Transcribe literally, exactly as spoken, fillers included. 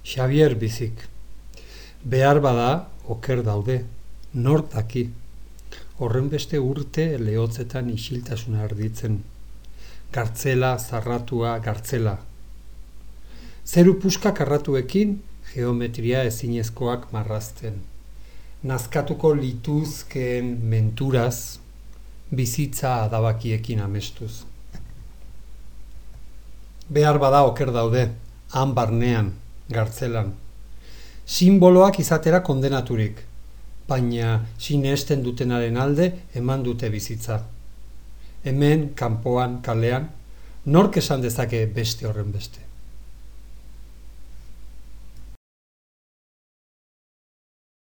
Xabier bizik. Behar bada, oker daude, nor daki. Horrenbeste urte lehotzetan isiltasuna erditzen. Gartzela, zarratua, gartzela. Zeru puska karratuekin, geometria ezinezkoak marrazten. Nazkatuko lituzkeen menturaz, bizitza adabakiekin amestuz. Behar bada oker daude, han barnean, gartzelan. Simboloak izatera kondenaturik, baina sinesten dutenaren alde eman dute bizitza. Hemen, kanpoan, kalean, nork esan dezake beste horren beste.